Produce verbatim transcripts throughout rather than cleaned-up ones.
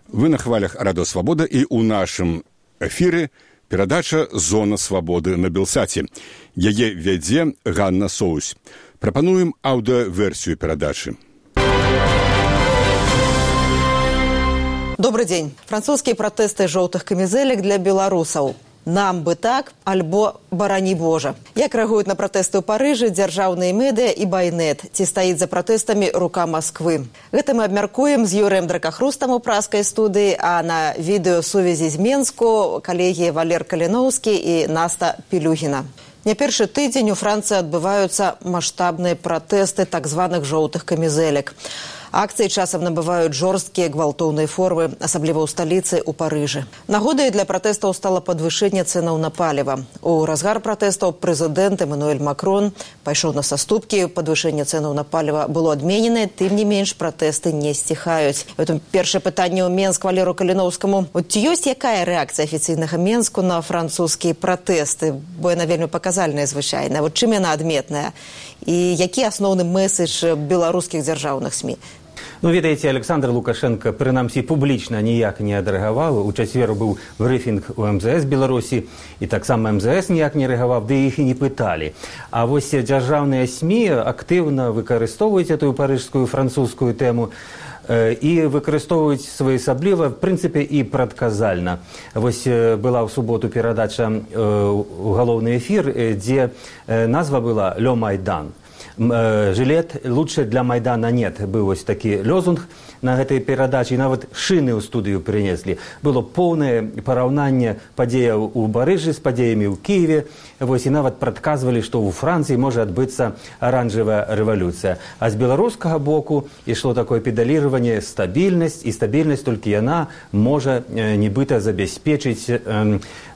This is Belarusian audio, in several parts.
Вы на хвалях Радио Свобода, и у нашым эфире перадача «Зона свободы» на Белсаце. Яе вядзе Ганна Соусь. Прапануем аўдыоверсію перадачы. Добрый день. Французские протесты жоўтых камізэлек для беларусаў. Нам бы так, альбо барані Божа. Як рэагуюць на пратэсты ў Парыжы дзяржаўныя медыя і байнет? Ці стаіць за пратэстамі рука Масквы? Гэта мы абмяркуем з Юрыем Дракахрустам у праскай студыі, а на відэосувязі з Менску калегі Валер Каліноўскі і Наста Пілюгіна. Не першы тыдзень у Францыі адбываюцца маштабныя пратэсты так званых жоўтых камізэлек. Акцыі часам набываюць жорсткія гвалтоўныя формы, асабліва ў сталіцы, у Парыжы. Нагодай для пратэстаў стала падвышэнне цэнаў на паліва. У разгар пратэстаў прэзідэнт Эмануэль Макрон пайшоў на саступкі, падвышэнне цэнаў на паліва было адмененае, тым не менш пратэсты не сціхаюць. Гэтым першае пытанне ў Менск Валеру Каліноўскаму. От ці ёсць якая рэакцыя афіцыйнага Менску на французскія пратэсты? Бо яна вельмі паказальная звычайная. Вот чым яна адметная? І які асноўны месседж беларускіх дзяржаўных СМІ? Ну, ведаеце, Александр Лукашенко, прынамсі, публічна ніяк не адрэагаваў. У чацвер быў брыфінг у эм зэ эс Беларусі, і таксама эм зэ эс ніяк не рэагаваў, ды іх і не пыталі. А вось дзяржаўныя СМІ актыўна выкарыстоўваюць эту парыжскую французскую тэму і выкарыстоўваюць своеасабліва, в прынцыпе, і прадказальна. Вось была ў суботу перадача ў галоўны эфір, дзе назва была «Лё Майдан». Жилет «Лучше для Майдана нет» быў вось такі лозунг на гэтай перадачы, і нават шыны ў студыю прынеслі. Было поўнае параўнанне падзеяў у Парыжы з падзеямі ў Кіеве, вось, і нават прадказвалі, што ў Францыі можа адбыцца аранжавая рэвалюцыя. А з беларускага боку ішло такое педаліраванне стабільнасць, і стабільнасць толькі яна можа нібыта забяспечыць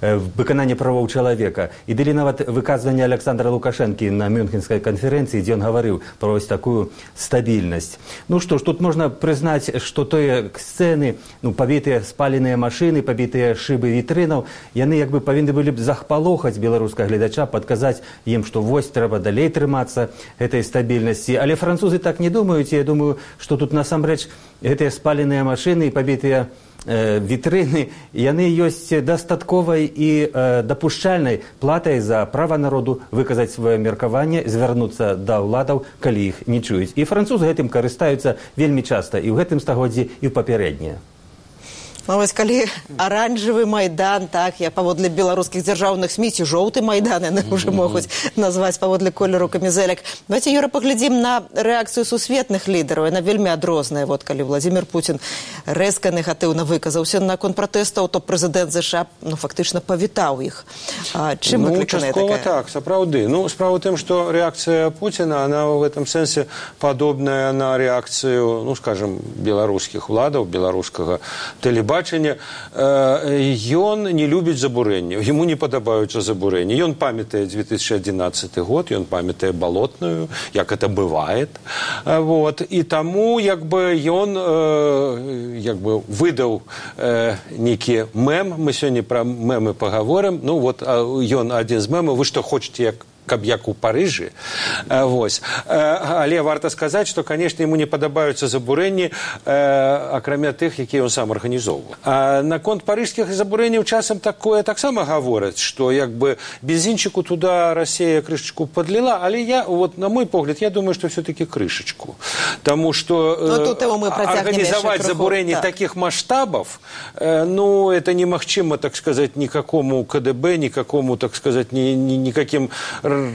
выкананне правоў чалавека. І далі нават выказванне Александра Лукашэнкі на Мюнхенскай канферэнцыі, дзе ён гаварыў пра вось такую стабільнасць. Ну што ж, тут можна прызнаць, што тыя сцэны, ну, пабітыя спаленыя машыны, пабітыя шыбы вітрынаў, яны як бы павінны былі б захпалохаць беларускага гледача, падказаць ім, што вось трэба далей трымацца гэтай стабільнасці. Але французы так не думаюць, і я думаю, што тут насамрэч гэтыя спаленыя машыны і пабітыя вітрыны, яны ёсць дастатковай і э, дапушчальнай платай за права народу выказаць сваё меркаванне, звярнуцца да ўладаў, калі іх не чуюць. І французы гэтым карыстаюцца вельмі часта, і ў гэтым стагоддзі, і ў папярэднія. Ну, вось калі аранжавы майдан, так, я паводле беларускіх дзяржаўных СМІ, ці жоўты майдан, яны ўжо могуць назваць паводле колеру камізэлек. Давайте, Юра, паглядзім на рэакцыю сусветных лідараў. Яна вельмі адрозная. Вот калі Владзімір Пуцін рэзка негатыўна выказаўся наконт пратэстаў, то прэзідэнт ЗША, ну, фактычна павітаў іх. А чым выкліканая такая? Ну, часткова так, сапраўды. Ну, справа ў тым, што рэакцыя Пуціна, она в этом сэнсе падобная на рэакцыю, ну, скажем, беларускіх уладаў, беларускага тэлебачання. Ён не любіць забурэнняў, яму не падабаюцца забурэнні. Ён памятае две тысячи адзінаццаты год, ён памятае балотную, як это бывает. Вот. І таму як бы ён як бы выдаў нейкі мэм, мы сёння пра мэмы пагаворым. Ну вот ён адзін з мэмаў, вы што хочаце, як каб як у Парыжы. Вось. Але варта сказаць, што, канешне, яму не падабаюцца забурэнні, акрамя тых, якія ён сам арганізоўваў. А наконт парыжскіх забурэнняў часам такое таксама гавораць, што як бы бензінчыку туда Расія крышачку подлила, але я, вот, на мой погляд, я думаю, што все-таки крышачку. Таму што арганізаваць забурэнні так. таких масштабов, ну, это немагчыма, так сказать, никакому КДБ, никакому, так сказать, ни, ни, никаким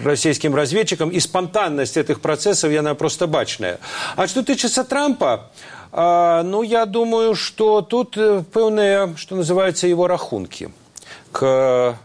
российским разведчикам, и спонтанность этих процессов, она просто бачная. А что тычется Трампа, э, ну, я думаю, что тут пэўныя, что называется, его рахунки к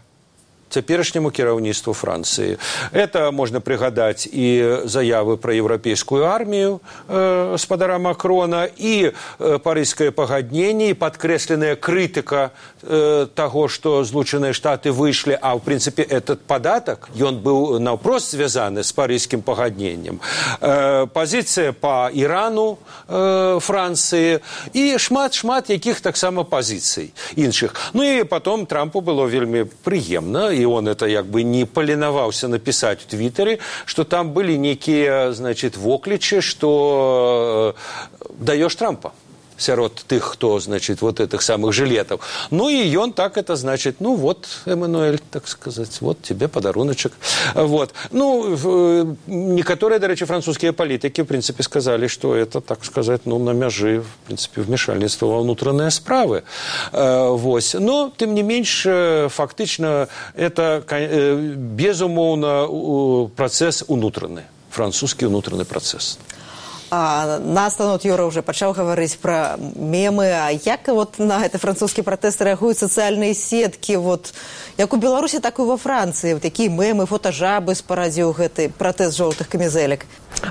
цяперашняму кіраўніцтву Францыі. Это можна прыгадаць і заявы пра еўрапейскую армію э, спадара Макрона, і э, парыжскае пагадненне, і падкрэсленая крытыка э, таго, што Злучаныя Штаты выйшлі, а ў прынцыпе этот падатак, ён быў наўпрост звязаны з парыжскім пагадненнем. Э, пазіцыя па Ірану э, Францыі і шмат-шмат якіх таксама пазіцый іншых. Ну і потом Трампу было вельмі прыемна, и он это як бы не поленовался написать в Твиттере, что там были некие, значит, вокличи, что даешь Трампа. сярод тых, хто, значит, вот этих самых жилетов. Ну, и он так это, значит, ну, вот, Эммануэль, так сказать, вот тебе подаруночек. Вот. Ну, некоторые, до речі, французские политики, в принципе, сказали, что это, так сказать, ну, на мяжи, в принципе, вмешательства во внутренние справы. Вот. Но, тем не менш, фактично, это, безумовно, процесс унутренний, французский внутренний процесс. А, настанут Юра уже пачаў гаварыць пра мемы. А як вот на гэты французскі пратэст рэагуюць сацыяльныя сеткі? Вот, як у Беларусі, так і во Францыі. Вот такія мемы, фотажабы спарадзіў гэты пратэст жоўтых камізэлек.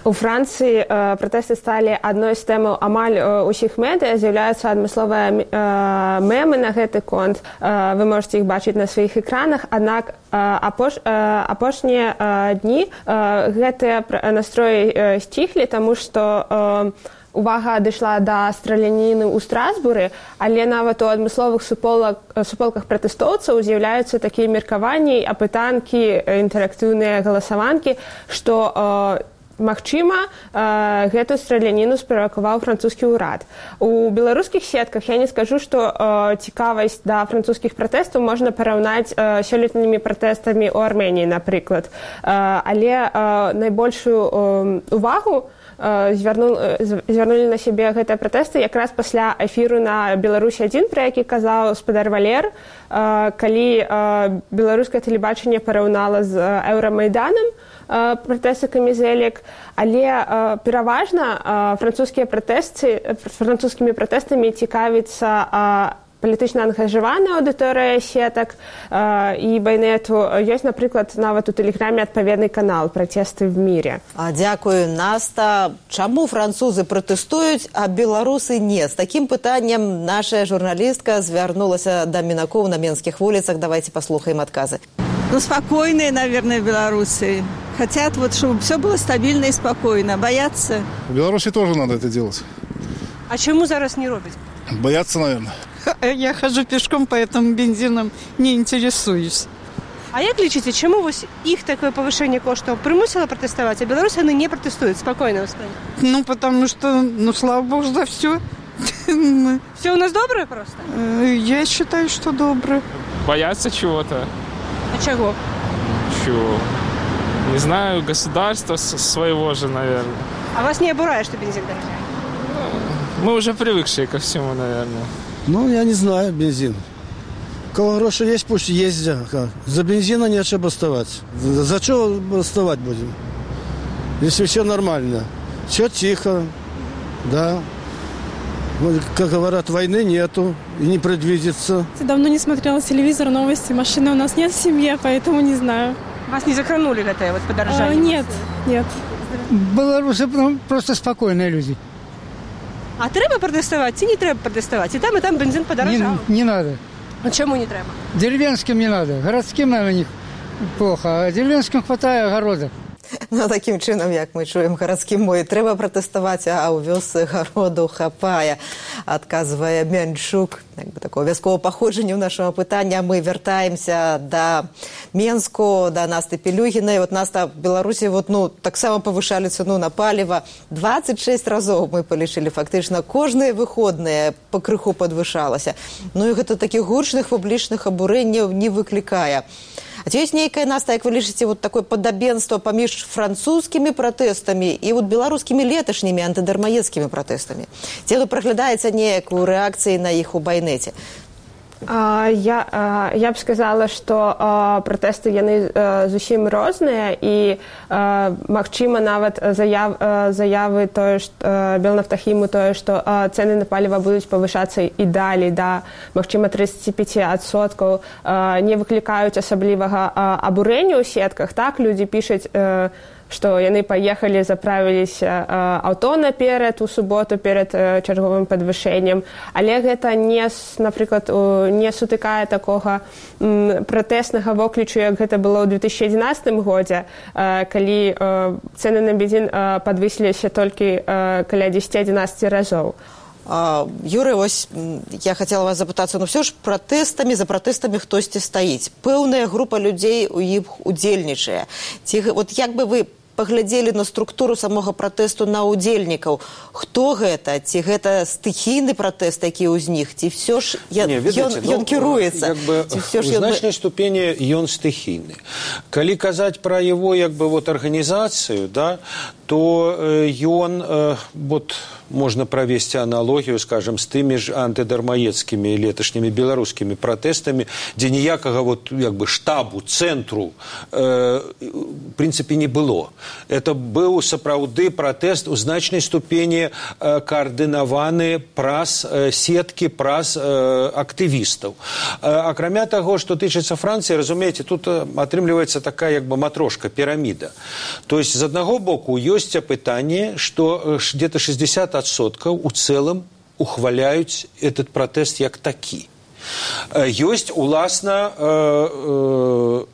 У Францыі э, пратэсты сталі адной з тэмаў амаль э, усіх медыа. З'яўляюцца адмысловыя э, мемы на гэты конт. Э, вы можете іх бачыць на сваіх экранах. Аднак э, апош, э, апошнія э, дні э, гэтыя настроі э, сціхлі, таму што э, увага дайшла да страляніны ў Страсбуры, але нават у адмысловых суполак, суполках пратэстоўцаў з'яўляюцца такія меркаванні, апытанкі, інтэрактыўныя галасаванкі, што э, магчыма, э, гэту страляніну справакаваў французскі ўрад. У беларускіх сетках я не скажу, што э, цікавасць да французскіх пратэстаў можна параўнаць э, сёлетнімі пратэстамі ў Арменіі, напрыклад. Э, але э, найбольшую э, увагу э, звярну, э, звярнулі на сябе гэтыя пратэсты якраз пасля эфіру на Беларусь адзін, пра які казаў спадар Валер, э, калі э, беларускае тэлебачанне параўнала з э, Еўрамайданам пратэсты камізэлек, але э, пераважна э, французскія пратэсты, французскімі пратэстамі цікавіцца э, палітычна ангажаваная аўдыторыя сетак э, і байнету. Ёсць, напрыклад, нават у тэлеграме адпаведны канал «Пратэсты в мире». А, дзякую, Наста. Чаму французы пратэстуюць, а беларусы не? З такім пытаннем наша журналістка звярнулася да мінакоў на менскіх вуліцах. Давайте паслухаем адказы. Ну, спокойные, наверное, белорусы. Хотят, вот, чтобы все было стабильно и спокойно. Боятся. В Беларуси тоже надо это делать. А чему зараз не робить? Боятся, наверное. Я хожу пешком, поэтому бензином не интересуюсь. А як лічыце, чему их такое повышение коштов примусило протестовать, а белорусы они не протестуют? Спокойно воспринимают. Ну, потому что, ну, слава богу, за все. Все у нас доброе просто? Я считаю, что доброе. Боятся чего-то. А чего? Чего? Не знаю, государство своего же, наверное. А вас не обурает, что бензин дорожает? Мы уже привыкшие ко всему, наверное. Ну, я не знаю, бензин. У кого гроши есть, пусть ездят. За бензина нечего бастовать. За что бастовать будем? Если все нормально. Все тихо, да. Как говорят, войны нету и не предвидится. Давно не смотрела телевизор, новости. Машины у нас нет в семье, поэтому не знаю. Вас не захранули это вот подорожание? А, нет, нет. Белорусы просто спокойные люди. А треба протестовать, и не треба протестовать. И там, и там бензин подорожал. Не, не надо. А чему не треба? Деревенским не надо. Городским, наверное, них плохо. А деревенским хватает огорода. Ну, таким чынам, як мы чуем, гарадскім мой трэба пратэставаць, а ў вёсцы гароду хапае, адказвае Мянчук. Як бы такое вясковае паходжанне ў нашага пытання. Мы вяртаемся да Менску, да Насты Пелюгінай. Вот Наста, в Беларусі вот, ну, таксама павышалі цэну на паліва. двадцать шесть разоў мы палічылі, фактычна кожныя выходныя пакрыху падвышалася. Ну і гэта такіх гучных публічных абурэнняў не выклікае. А ці ёсць нейкая, Наста, як вы лічыце, вот такое падабенства паміж французскімі пратэстамі і вот беларускімі леташнімі антыдармаедскімі пратэстамі? Ці вы праглядаеце неяк у рэакцыі на іх у байнеце? Я, я б сказала, што пратэсты яны зусім розныя і, магчыма, нават заяв, заявы тое, што Белнафтахіму тое, што цэны на паліва будуць павышацца і далей да, магчыма, тридцать пять адсоткаў, не выклікаюць асаблівага абурэння ў сетках. Так, людзі пішуць, што яны паехалі, заправіліся аўто наперад у суботу перад чарговым падвышэннем. Але гэта не, напрыклад, не сутыкае такога пратэснага воклічу, як гэта было ў две тысячи одиннадцатым годзе, калі цэны на бензін падвысіліся толькі каля десять-одиннадцать разоў. Юрый, ось я хотела вас запытацца, ну все ж пратэстамі, за пратэстамі хтосьці стаіць. Пэўная група людзей у іх удзельнічае. Ці, вот як бы вы паглядзелі на структуру самога пратэсту на ўдзельнікаў. Хто гэта? Ці гэта стыхійны пратэст, які ўзнік? Ці ўсё ж ён кіруецца? У значнай ступені ён стыхійны. Калі казаць пра его як бы вот арганізацыю, да, то ён э, вот можно провести аналогию, скажем, с теми же антидармаецкими леташнімі беларускімі пратэстамі, дзе ніякага вот як бы штабу, цэнтру э, в принципе не было. Это быў сапраўды пратэст у значнай ступені э, координаваны праз э, сеткі, праз э, актывістаў. Э, акрамя таго, што тычыцца Францыі, разумееце, тут атрымліваецца такая як бы матрошка, піраміда. То есть з аднаго боку ёсць пытанне, што где-то шестьдесят процентов у целом ухваляюць этот пратэст як такі. Ёсць, уласна, э, э,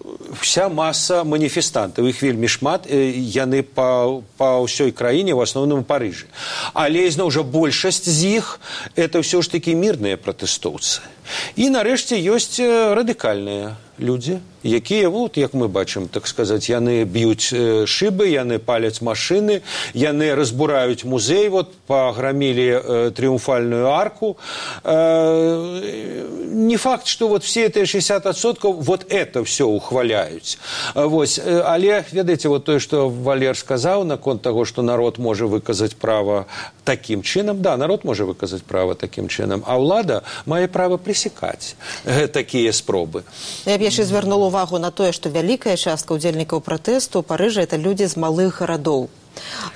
вся маса маніфестантаў, іх вельмі шмат, э, яны па, па ўсёй краіне, в асноўным у Парыжы. Але, ізноў жа, большасць з іх это ўсё ж такі мірныя пратэстоўцы. І, нарэшце, ёсць радыкальныя людзі, якія, вот, як мы бачым, так сказаць, яны б'юць шыбы, яны паляць машыны, яны разбураюць музей, вот, паграмілі э, трыумфальную арку. Э, не факт, что вот все эти шестьдесят процентов вот это все ухваляюць. Вось. Але, ведаеце, вот тое, што Валер сказаў наконт таго, што народ можа выказаць права такім чынам. Да, народ можа выказаць права такім чынам, а ўлада мае права пресекаць такія спробы. Я б яшчэ звярнула увагу на тое, што вялікая частка ўдзельнікаў пратэсту ў Парыжы это людзі з малых гарадоў,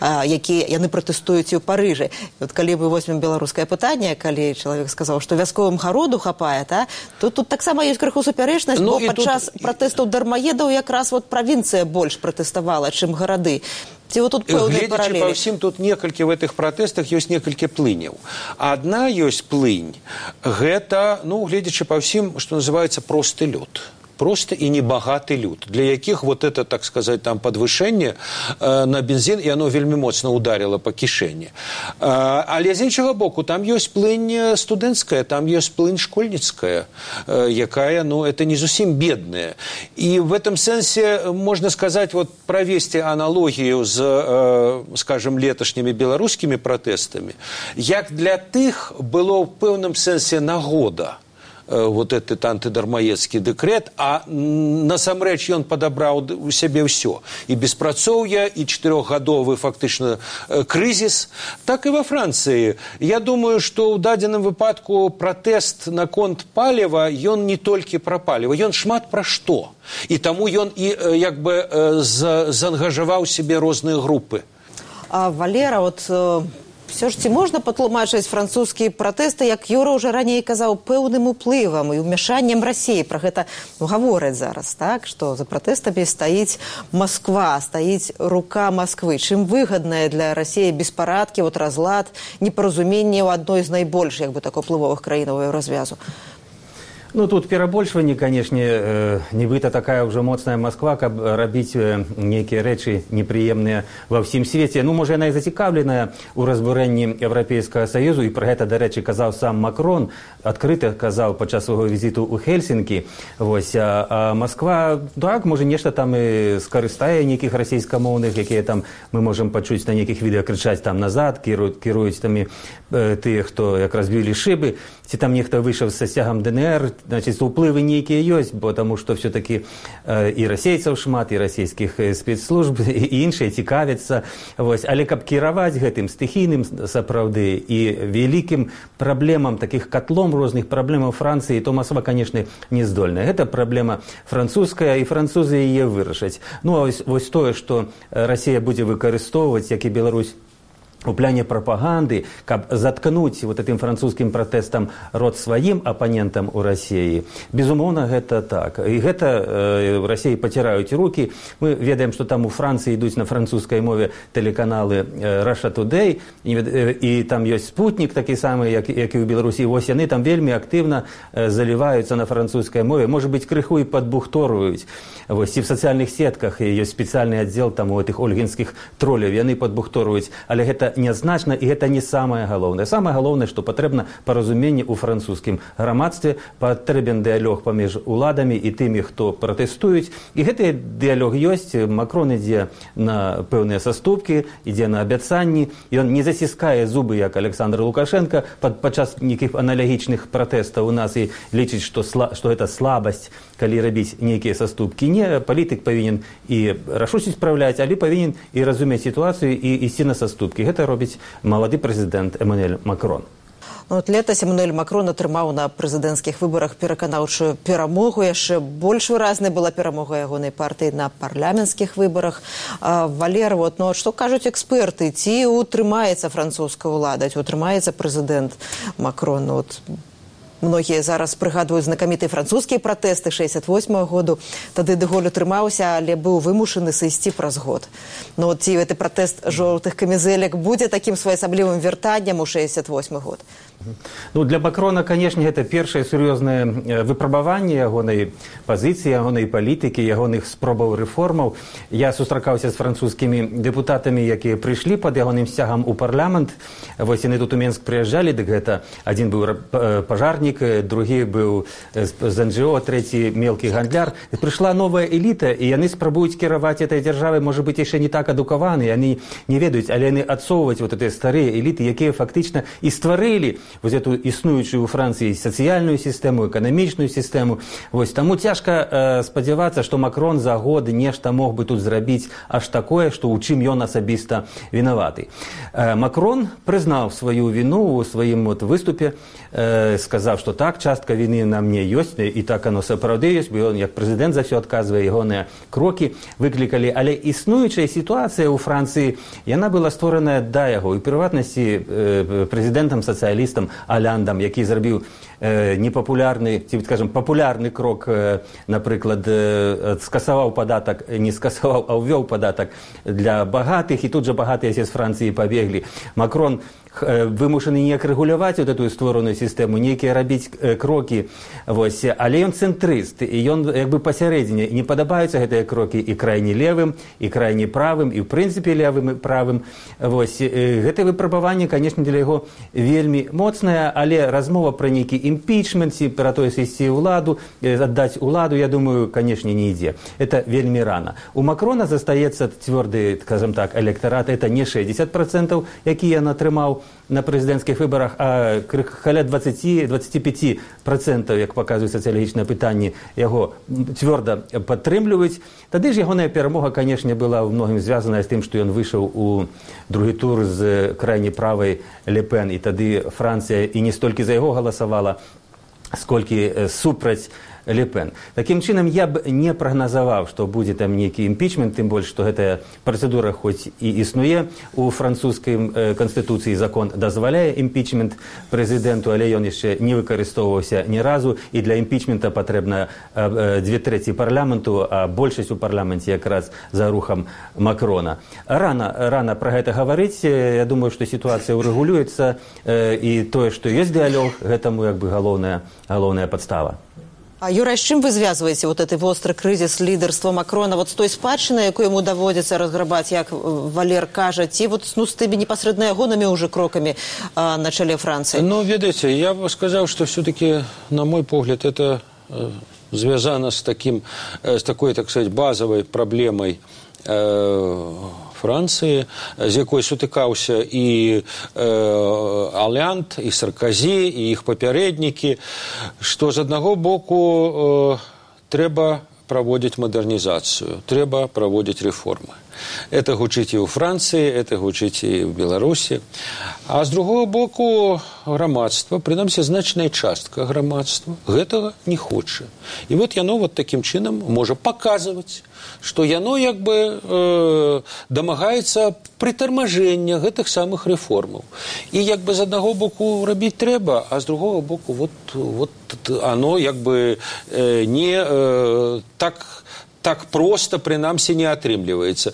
якія яны пратэстуюць у Парыжы. Вот калі мы возьмем беларускае пытанне, калі чалавек сказаў, што вясковым гароду хапае, та, то тут таксама ёсць крыху суперечнасць, ну, бо падчас тут... пратэстаў дармаедаў якраз вот правінцыя больш пратэставала, чым гарады. Ці вот тут пэўныя паралелі. Гледзячы па ўсім, тут некалькі в этих пратэстах ёсць некалькі плыняў. Адна ёсць плынь, гэта, ну, гледзячы па ўсім, што называецца просты лёд. Просто и небагаты люд, для якіх вот это, так сказать, там подвышение э, на бензин, и оно вельмі моцна ударило по кішэні. Э, але з іншага боку, там ёсць плынь студэнцкая, там ёсць плынь школьніцкая, э, якая, ну, это не зусім бедная. И в этом сенсе можно сказать, вот провести аналогию с, э, скажем, леташнімі беларускімі пратэстамі, як для тых было в пэўным сенсе нагода вот этот антидармаецкі дэкрэт, а насамрэч ён падабраў у сябе ўсё. І беспрацоўе, і чатырохгадовы фактычна крызіс. Так і во Францыі. Я думаю, што ў дадзеным выпадку пратэст наконт паліва, ён не толькі пра паліва, ён шмат пра што. І таму ён і як бы заангажаваў сябе розныя групы. А Валера, вот... Все ж ці можна патлумачыць французскія пратэсты, як Юра ўжо раней казаў, пэўным уплывам і ўмяшаннем Расіі. Пра гэта гавораць зараз, так? Што за пратэстамі стаіць Масква, стаіць рука Масквы. Чым выгадная для Расіі беспарадкі, вот разлад, непаразуменне ў адной з найбольш, як бы так, уплывовых краінаў развязу? Ну, тут перабольшванне, канешне, э, нібыта такая ўжо моцная Масква, каб рабіць э, нейкія рэчы непрыемныя ва ўсім свеце. Ну, можа, яна і зацікаўленая ў разбурэнні Еўрапейскага Саюзу, і пра гэта, дарэчы, казаў сам Макрон, адкрыта казаў падчас свайго візіту ў Хельсінкі. Вось, а, а Масква, так, можа, нешта там і скарыстае нейкіх расійскамоўных, якія там мы можам пачуць на нейкіх відэа крычаць там назад, кіруюць, кіруюць там і э, тыя, хто як разбілі шыбы, ці там нехта выйшаў са сцягам ДНР. Значит, уплывы нейкія ёсць, потому что все-таки э, і расейцаў шмат, і расійскіх спецслужб, і іншыя цікавяцца. Вось. Але каб кіраваць гэтым стыхійным сапраўды і вялікім праблемам, таких котлом розных праблемаў Францыі, то Масква, конечно, не здольная. Гэта праблема французская, і французы яе вырашаць. Ну, а вось, вось тое, што Расія будзе выкарыстоўваць, як і Беларусь, у пляне прапаганды, каб заткнуць вот этим французскім пратэстам рот сваім апанентам у Расіі. Безумоўна, гэта так. І гэта э, в Расіі паціраюць рукі. Мы ведаем, што там у Францыі ідуць на французскай мове тэлеканалы э, Russia Today, і, э, і там ёсць спутнік такі самы, як, як і ў Беларусі. Вось яны там вельмі актыўна э, заліваюцца на французскай мове. Можа быць, крыху і падбухторуюць. Вось, і в сацыяльных сетках ёсць спецыяльны аддзел там у этих ольгінскіх тролляў. Яны падбухторуюць. Але гэта гэта нязначна, і гэта не самае галоўнае. Самае галоўнае, што патрэбна паразуменне ў французскім грамадстве, патрэбен дыялог паміж уладамі і тымі, хто пратэстуюць. І гэты дыялог ёсць. Макрон ідзе на пэўныя саступкі, ідзе на абяцанні. Ён не заціскае зубы, як Александр Лукашенко, пад, падчас нейкіх аналагічных пратэстаў у нас і лічыць, што, сла, што гэта слабасць, калі рабіць нейкія саступкі. Не, палітык павінен і рашучасць спраўляць, але павінен і разумець сітуацыю і ісці на саступкі. Гэта робіць малады прэзідэнт Эммануэль Макрон. Ну, летась Эммануэль Макрон атрымаў на прэзідэнцкіх выбарах пераканаўчую перамогу. Яшчэ больш выразнай была перамога ягонай партыі на парламенцкіх выбарах. А, Валер, вот, ну, што кажуць эксперты? Ці утрымаецца французская ўлада, ці утрымаецца прэзідэнт Макрон? Ну, вот, многія зараз прыгадваюць знакамітыя французскія пратэсты шэсцьдзясят восьмага году. Тады дэ Голь утрымаўся, але быў вымушаны сысці праз год. Ну, ці гэты пратэст жоўтых камізэлек будзе такім своеасаблівым вяртаннем у шэсцьдзясят восьмы год? Ну, для Макрона, конечно, это першае сур'ёзнае выпрабаванне ягонай пазіцыі, ягонай палітыкі, ягоных спробаў рэформаў. Я сустракаўся з французскімі дэпутатамі, якія прыйшлі пад ягоным сцягам у парламент. Вось яны тут у Менск прыязджалі, дык гэта адзін быў пажарнік, другі быў з эн джэ о, трэці мелкі гандляр. Прыйшла новая эліта, і яны спрабуюць кіраваць этой дзяржавай, можа быць, яшчэ не так адукаваны, яны не ведаюць, але яны адсоўваць вот гэтыя старыя эліты, якія фактычна і стварылі вось эту існуючую ў Францыі сацыяльную сістэму, эканамічную сістэму. Вось таму цяжка э, спадзявацца, што Макрон за год нешта мог бы тут зрабіць аж такое, што ў чым ён асабіста вінаваты. Э, Макрон прызнаў сваю віну ў сваім вот выступе, э, сказаў, што так, частка віны на мне ёсць, і так оно сапраўды ёсць, бо ён як прэзідэнт за ўсё адказвае, ягоныя крокі выклікалі. Але існуючая сітуацыя ў Францыі, яна была створаная да яго, і ў прыватнасці э, прэзідэнтам-сацыялістам Аляндам, які зрабіў э, непапулярны, ці, скажем, папулярны крок, э, напрыклад, э, скасаваў падатак, не скасаваў, а ўвёў падатак для багатых, і тут жа багатыя з Францыі пабеглі. Макрон вымушаны неяк рэгуляваць вот эту створаную сістэму, нейкія рабіць э, крокі, вось, але ён цэнтрыст, і ён як бы пасярэдзіне, не падабаюцца гэтыя крокі і крайне левым, і крайне правым, і ў прынцыпе левым і правым. Вось, э, гэтае выпрабаванне, канешне, для яго вельмі моцнае, але размова пра нейкі імпічмент, пра тое сысці ўладу, э, аддаць уладу, я думаю, канешне, не ідзе. Это вельмі рана. У Макрона застаецца цвёрды, скажем так, электарат, это не шэсцьдзесят працэнтаў, які ён атрымаў на прэзідэнцкіх выбарах, а каля дваццаць пяць працэнтаў, як паказваюць сацыялагічныя пытанні, яго цвёрда падтрымліваюць. Тады ж ягоная перамога, канешне, была ў многім звязаная з тым, што ён выйшаў у другі тур з крайне правай Ле Пен, і тады Францыя і не столькі за яго галасавала, сколькі супраць Ле Пен. Такім чынам, я б не прагназаваў, што будзе там нейкі імпічмент, тым больш, што гэтая працэдура хоць і існуе у французскай э, канстытуцыі, закон дазваляе імпічмент прэзідэнту, але ён яшчэ не выкарыстоўваўся ні разу, і для імпічмента патрэбна э, две трэці парламенту, а большасць у парламенце якраз за рухам Макрона. Рана, рана пра гэта гаварыць, я думаю, што сітуацыя урэгулюецца, э, і тое, што ёсць дыялог, гэтаму як бы галоўная, галоўная падстава. А, Юра, з чым вы звязваеце вот гэты востры крызіс лідарства Макрона вот з той спадчынай, якую яму даводзіцца разграбаць, як Валер кажа, ці вот ну, з тымі непасрэдна ягонымі ўжо крокамі а, на чале Францыі? Ну, ведаеце, я бы сказаў, што все-таки, на мой погляд, это э, звязано с таким, э, с такой, так сказать, базовой проблемой э, Францыі, з якой сутыкаўся і э, Алянд, і Сарказі, і іх папярэднікі, што з аднаго боку э, трэба праводзіць мадэрнізацыю, трэба праводзіць рэформы. Это гучыць і ў Францыі, это гучыць і ў Беларусі. А з другого боку грамадства, прынамсі значная частка грамадства, гэтага не хоча. І вот яно вот такім чынам можа паказваць, што яно як бы э, дамагаецца прытармажэння гэтых самых рэформаў. І як бы з аднаго боку рабіць трэба, а з другого боку вот, вот оно як бы э, не э, так... так проста, прынамсі, не атрымліваецца.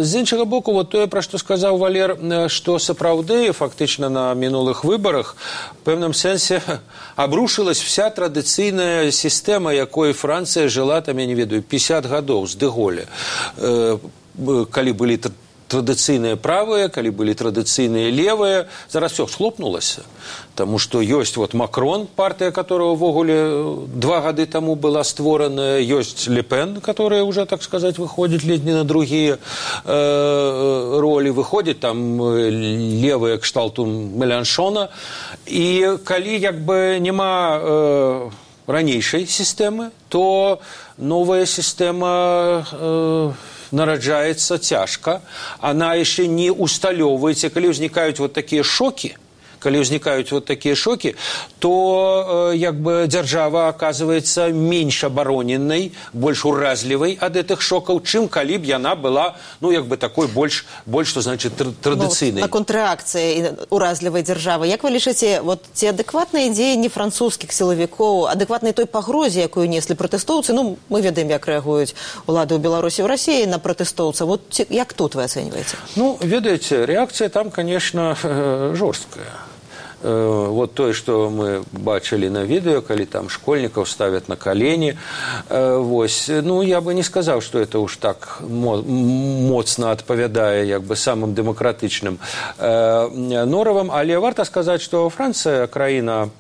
З іншага боку, вот тое, пра што сказаў Валер, што сапраўды, фактычна, на мінулых выбарах, в пэўным сэнсе абрушылась вся традыцыйная сістэма, якой Францыя жыла, там, я не ведаю, пятьдесят гадоў з дэ Голля, калі былі традыцыйныя правыя, калі былі традыцыйныя левыя. Зараз все схлопнулася. Таму што ёсць вот Макрон, партыя, которая ўвогуле два гады таму была створана, ёсць Ле Пен, которая уже, так сказать, выходит ледь не на другие э, роли, выходит там левые кшталту Меланшона. І калі як бы няма э, ранейшай сістэмы, то новая сістэма э, нараджаецца цяжка. Она яшчэ не усталёўваецца. Калі ўзнікаюць вот такія шокі, калі ўзнікаюць вот такія шокі, то э, як бы дзяржава аказваецца менш абароненай, больш уразлівай ад гэтых шокаў, чым калі б яна была, ну, як бы такой больш, больш што значыць, традыцыйнай. Ну, на контррэакцыі уразлівай дзяржавы. Як вы лічыце, вот ці адэкватныя дзеянні французскіх сілавікоў, адэкватнай той пагрозе, якую неслі пратэстоўцы, ну, мы ведаем, як рэагуюць улады ў Беларусі, ў Расіі на пратэстоўцаў. Вот ці, як тут вы ацэньваеце? Ну, ведаеце, рэакцыя там, конечно, жорсткая. Вот тое, што мы бачылі на відэо, калі там школьнікаў ставят на калені, вось, ну, я бы не сказаў, што это уж так моцна адпавядае як бы самым дэмакратычным норавам, але варта сказаць, што Францыя краіна,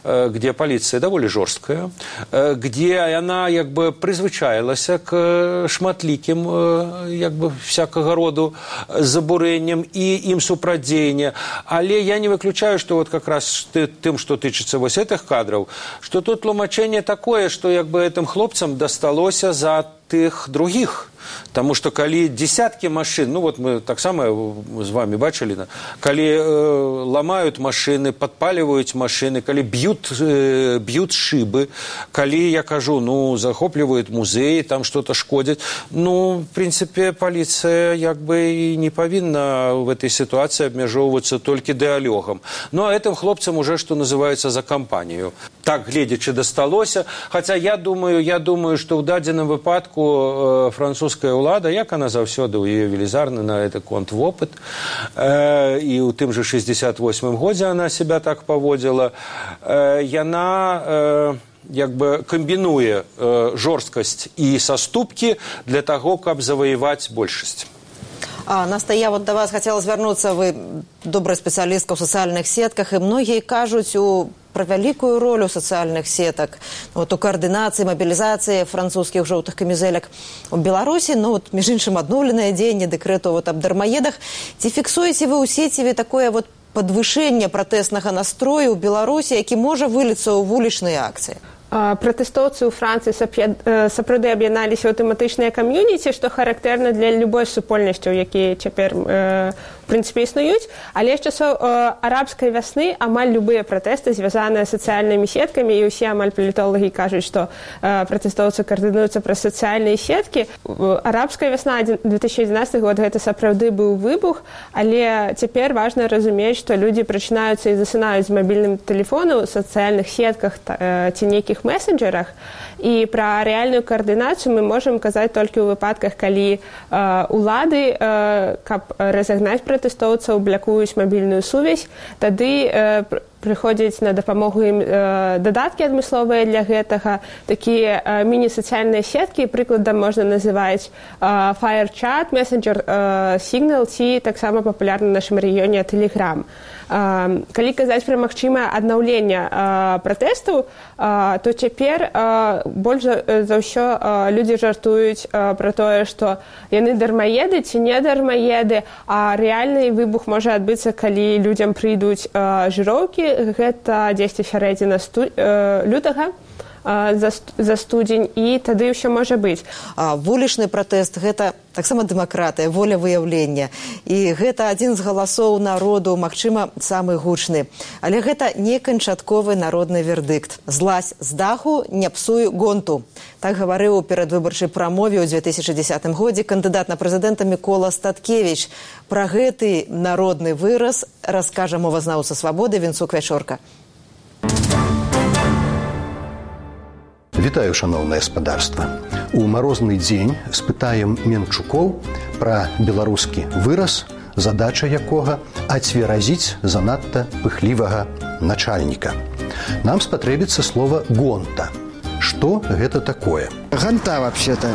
где полиция довольно жорсткая, где она як бы прызвычаілася к шматлікім як бы всякага роду забурэнням і ім супрадзеяння, але я не выключаю, што вот как раз тым, што тычыцца вось этих кадраў, што тут тлумачэнне такое, што як бы этим хлопцам дасталося за тых других. Таму што калі десяткі машын, ну вот мы таксама з вами бачылі, калі э, ламаюць машыны, падпаліваюць машыны, калі б'ют, э, б'ют шыбы, калі, я кажу, ну, захопліваюць музеі, там что-то шкодзяць, ну, в принципе, паліцыя як бы і не павінна в этой ситуации абмяжоўвацца толькі дыалогам. Ну, а этим хлопцам уже, что называется, за кампанію. Так, гледзячы, дасталося. Хаця я думаю, я думаю, што ў дадзеным выпадку э, французская ўлада, як она заўсёды ў яе велізарны на гэты конт вопыт, э, і ў тым же шестьдесят восьмым годзе она себя так паводзіла, э, яна э, як бы камбінуе э, жорсткасць і саступкі для таго, каб заваяваць большасць. А, Настя, я вот до вас хотела звярнуцца, вы добрая спецыялістка ў сацыяльных сетках, і многія кажуць у про вялікую ролю сацыяльных сетак, вот, у координации, мобилизации французских желтых камизелек в Беларуси, ну вот, между іншым, адноўленае дзеянне дэкрэту вот, об дармаедах. Ці фіксуеце вы ў сеціве такое вот падвышэнне пратэснага настрою ў Беларусі, які можа выліцца ў вулічныя акцыі? Пратэстоўцы ў Францыі сапраўды аб'ядналіся ў тэматычныя кам'юніці, што характэрна для любой супольнасцяў, якія цяпер э, в прынцыпе існуюць, але з часоў э, арабскай вясны амаль любыя пратэсты звязаныя з сацыяльнымі сеткамі, і ўсе амаль палітолагі кажуць, што э, пратэстоўцы каардынуюцца праз сацыяльныя сеткі. Арабская вясна две тысячи адзінаццаты год гэта сапраўды быў выбух, але цяпер важна разумець, што людзі прачынаюцца і засынаюць з мабільным тэлефону ў сацыяльных сетках э, ці нейкіх месенджерах, і пра рэальную каардынацыю мы можам казаць толькі ў выпадках, калі э, улады, э, каб разагнаць пратэстоўцаў, блякуюць мабільную сувязь, тады э, прыходзяць на дапамогу ім э, дадаткі адмысловыя для гэтага, такія э, міні-сацыяльныя сеткі, прыкладам можна называць э, FireChat, Messenger, э, Signal, ці таксама папулярна ў нашым рэгіёне Telegram. Э, калі казаць пра магчымае аднаўленне э, пратэстаў, э, то цяпер э, больш за, за ўсё э, людзі жартуюць э, пра тое, што яны дармаеды ці не дармаеды, а рэальны выбух можа адбыцца, калі людзям прыйдуць э, жыроўкі. Гэта дзесьці сярэдзіна сту... э, лютага э, за, за студзень, і тады ўсё можа быць. А, вулічны пратэст – гэта таксама дэмакратыя, воля выяўлення. І гэта адзін з галасоў народу, магчыма, самы гучны. Але гэта не канчатковы народны вердыкт. Злазь з даху, не псуй гонту. Так гаварыў у перадвыбарчай прамове ў две тысячи дзесятым годзе кандыдат на прэзідэнта Мікола Статкевіч. Пра гэты народны выраз раскажа мовазнаўца «Свабоды» Вінцук Вячорка. Вітаю, шаноўнае гаспадарства. У марозны дзень спытаем менчукоў пра беларускі выраз, задача якога ацверазіць занадта пыхлівага начальніка. Нам спатрэбіцца слова «гонта». Что гэта такое? Ганта, вообще-то.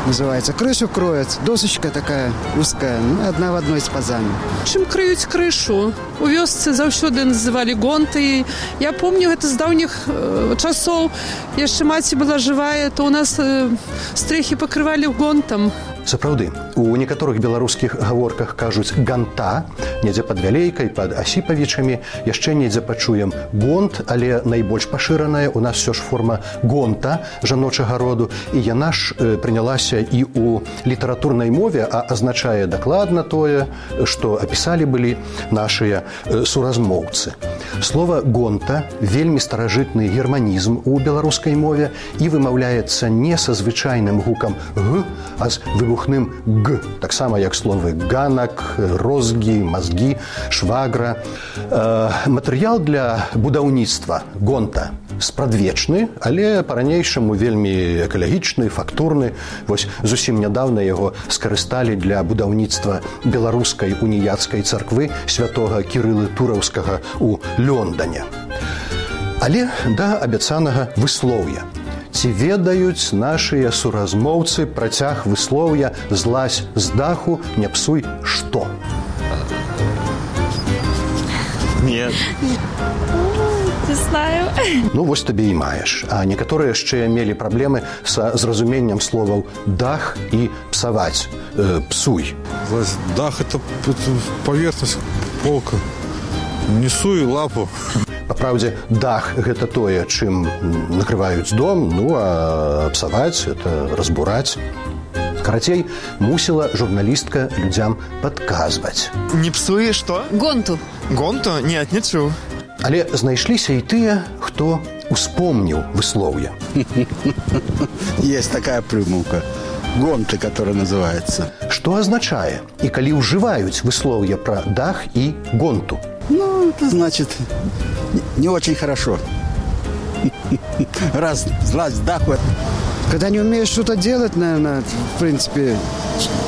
называется. Крышу кроет, досочка такая узкая, ну, одна в одной с пазами. Чым крыюць крышу? У вёсцы заўсёды называлі гонты. Я помню гэта з даўніх э, часоў. Яшчэ маці была жывая, то у нас э, стрэхі пакрывалі гонтам. Сапраўды, у некаторых беларускіх гаворках кажуць ганта, недзе пад Вялейкай, пад Асіпавічамі, яшчэ недзе пачуем гонт, але найбольш пашыраная у нас ўсё ж форма гонта жаночага роду, і яна ж э, прынялася і ў літаратурнай мове, а азначае дакладна тое, што апісалі былі нашыя э, суразмоўцы. Слова гонта вельмі старажытны германізм у беларускай мове і вымаўляецца не са звычайным гукам г, а з выбухным г, таксама як словы ганак, розгі, мазгі, швагра. Э, матэрыял для будаўніцтва гонта спрадвечны, але па-ранейшаму вельмі экалагічны, фактурны. Вось зусім нядаўна яго скарысталі для будаўніцтва беларускай уніяцкай царквы святога Кірылы Тураўскага ў Лондане. Але да абяцанага выслоўя. Ці ведаюць нашыя суразмоўцы працяг выслоўя «злазь з даху, не псуй што»? Нет. Не знаю. Ну, вось табе і маеш. А некаторыя яшчэ мелі праблемы са зразуменнем словаў «дах» і «псаваць», э, «псуй». Дах – это поверхность, полка. Несу и лапу. Па праўдзе, дах – гэта тое, чым накрываюць дом, ну, а псаваць – это разбураць. Карацей, мусіла журналістка людзям падказваць. Не псуе што? Гонту. Гонту? Нет, не чуў. Але знайшліся і тыя, хто успомніў выслоўе. Есть такая прымаўка. Гонты, которая называется. Што азначае? І калі ўжываюць выслоўе пра дах і гонту? Ну, это значит, не очень хорошо. Раз злазь с даху. Когда не умеешь что-то делать, наверное, в принципе,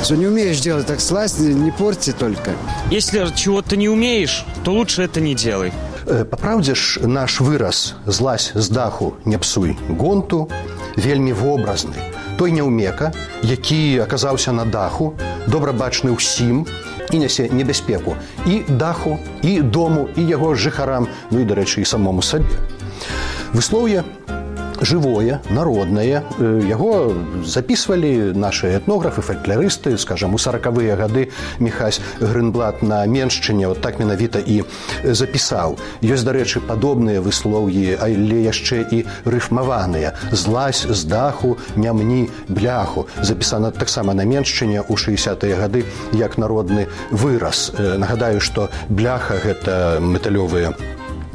что не умеешь делать, так слазь, не порти только. Если чего-то не умеешь, то лучше это не делай. Па праўдзе ж, наш выраз «злазь з даху, не псуй гонту» вельмі вобразны. Той няўмека, які аказаўся на даху, добра бачны ўсім і нясе небяспеку і даху, і дому, і яго жыхарам, ну і, дарэчы, і самому сабе. Выслоўе жывое, народнае. Яго записывалі наши этнографы, фольклорысты, скажем, у сорокавыя гады Міхась Грынблат на Меншчыне вот так менавіта і запісаў. Ёсць, дарэчы, падобныя выслоўі, але яшчэ і рыфмаваныя. «Злазь з даху, не мні бляху». Запісана таксама на Меншчыне ў шэсцідзятыя гады як народны выраз. Нагадаю, што бляха – гэта металёвыя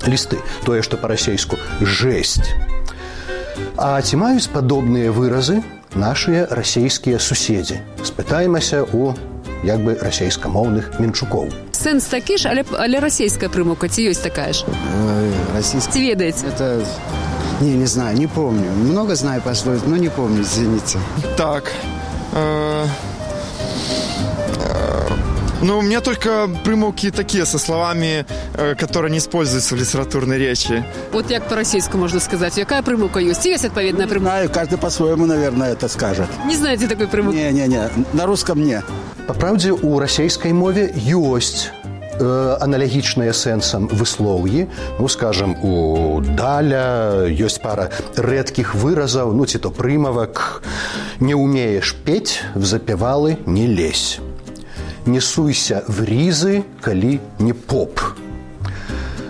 лісты, тое, што па-расейску «жэсць». А ці маюць падобныя выразы нашыя расійскія суседзі? Спытаемся у як бы расійскамоўных менчукоў. Сэнс такі ж, але, але расійская прымаўка, ці ёсць такая ж? Российская. Ці ведаеце? Это... Не, не знаю, не помню. Много знаю пословиц, но не помню, извините. Так. Э... Ну, у меня только примолвки такие, со словами, э, которые не используются в литературной речи. Вот як по-российски можно сказать. Какая примолвка есть? Есть отповедная примолвка? Не знаю, каждый по-своему, наверное, это скажет. Не знаете такой примолвки? Не-не-не, на русском не. По правде, у российской мове есть э, аналогичные сенсом высловьи. Ну, скажем, у Даля есть пара редких выразов, ну, ці то примовок. «Не умеешь петь, в запевалы не лезь». «Не суйся в ризы, калі не поп».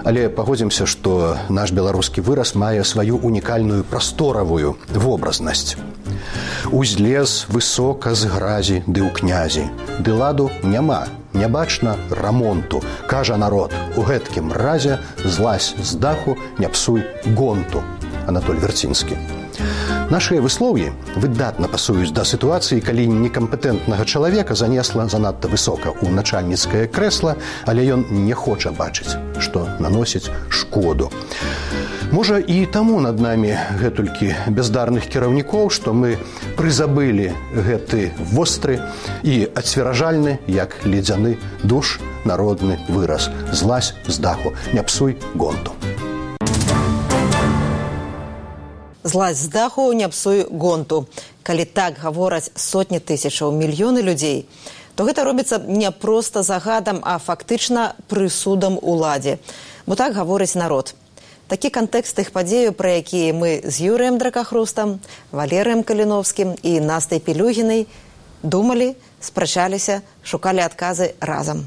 Але пагодзімся, што наш беларускі выраз мае сваю унікальную прасторавую вобразнасць. «Узлез высока з гразі ды ў князі, ды ладу няма, не бачна рамонту. Кажа народ, у гэткім разе злазь з даху, не псуй гонту». Анатоль Вярцінскі. Нашыя выслоўі выдатна пасуюць да сітуацыі, калі некампетэнтнага чалавека занесла занадта высока ў начальніцкае крэсла, але ён не хоча бачыць, што наносіць шкоду. Можа, і таму над намі гэтулькі бяздарных кіраўнікоў, што мы прызабылі гэты востры і ацверажальны, як ледзяны душ, народны выраз «Злазь з даху, не псуй гонту». «Злазь з даху, не псуй гонту». Калі так гавораць сотні тысячаў, мільёны людзей, то гэта робіцца не проста загадам, а фактычна прысудам уладзе. Бо так гаворыць народ. Такі кантэкст тых падзеяў, пра якія мы з Юрыем Дракахрустам, Валерыем Каліновскім і Настай Пілюгінай думалі, спрачаліся, шукалі адказы разам.